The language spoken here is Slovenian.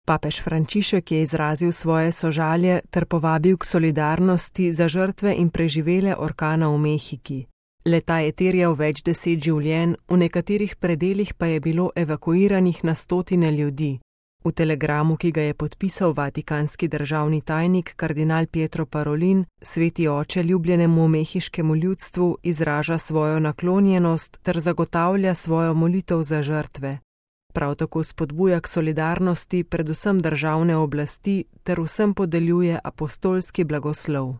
Papež Frančišek je izrazil svoje sožalje ter povabil k solidarnosti za žrtve in preživele orkana v Mehiki. Leta je terjal več 10 življenj, v nekaterih predelih pa je bilo evakuiranih na stotine ljudi. V telegramu, ki ga je podpisal vatikanski državni tajnik kardinal Pietro Parolin, sveti oče ljubljenemu mehiškemu ljudstvu izraža svojo naklonjenost ter zagotavlja svojo molitev za žrtve. Prav tako spodbuja k solidarnosti predvsem državne oblasti ter vsem podeljuje apostolski blagoslov.